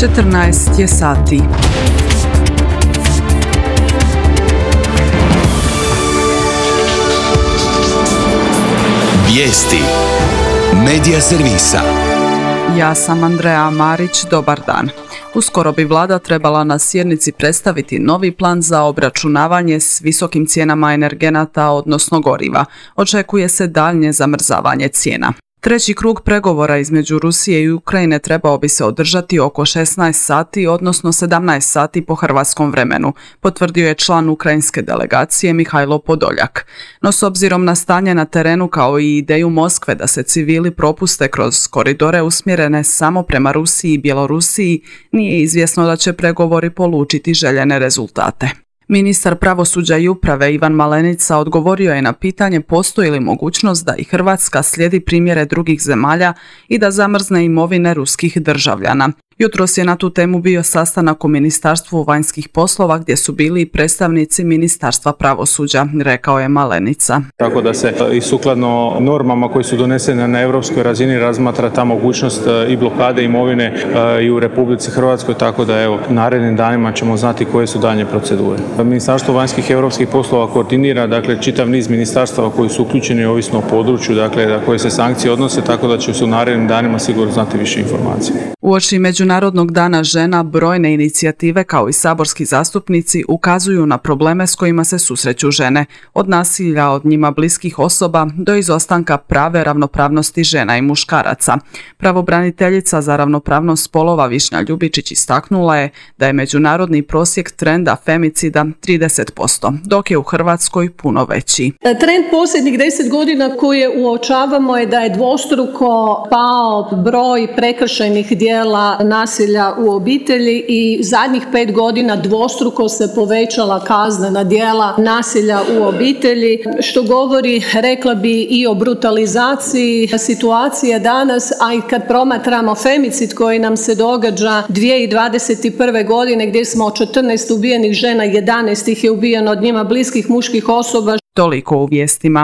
14 je sati. Vijesti Medija servisa. Ja sam Andreja Marić, dobar dan. Uskoro bi vlada trebala na sjednici predstaviti novi plan za obračunavanje s visokim cijenama energenata, odnosno goriva. Očekuje se daljnje zamrzavanje cijena. Treći krug pregovora između Rusije i Ukrajine trebao bi se održati oko 16 sati, odnosno 17 sati po hrvatskom vremenu, potvrdio je član ukrajinske delegacije Mihajlo Podoljak. No s obzirom na stanje na terenu kao i ideju Moskve da se civili propuste kroz koridore usmjerene samo prema Rusiji i Bjelorusiji, nije izvjesno da će pregovori polučiti željene rezultate. Ministar pravosuđa i uprave Ivan Malenica odgovorio je na pitanje postoji li mogućnost da i Hrvatska slijedi primjere drugih zemalja i da zamrzne imovine ruskih državljana. Jutros je na tu temu bio sastanak u Ministarstvu vanjskih poslova gdje su bili i predstavnici Ministarstva pravosuđa, rekao je Malenica. Tako da se i sukladno normama koje su donesene na europskoj razini razmatra ta mogućnost i blokade imovine i u Republici Hrvatskoj, tako da evo narednim danima ćemo znati koje su daljnje procedure. Ministarstvo vanjskih i europskih poslova koordinira čitav niz ministarstava koji su uključeni ovisno o području, na koje se sankcije odnose, tako da će se u narednim danima sigurno znati više informacija. Uoči Međunarodnog dana žena brojne inicijative kao i saborski zastupnici ukazuju na probleme s kojima se susreću žene, od nasilja od njima bliskih osoba do izostanka prave ravnopravnosti žena i muškaraca. Pravobraniteljica za ravnopravnost spolova Višnja Ljubičić istaknula je da je međunarodni prosjek trenda femicida 30%, dok je u Hrvatskoj puno veći. Trend posljednjih 10 godina koje uočavamo je da je dvostruko pao broj prekršajnih djela nasilja u obitelji i zadnjih 5 godina dvostruko se povećala kaznena djela nasilja u obitelji, što govori, rekla bi, i o brutalizaciji situacije danas, a i kad promatramo femicid koji nam se događa 2021. godine gdje smo od 14 ubijenih žena, 11 ih je ubijeno od njima bliskih muških osoba. Toliko u vijestima.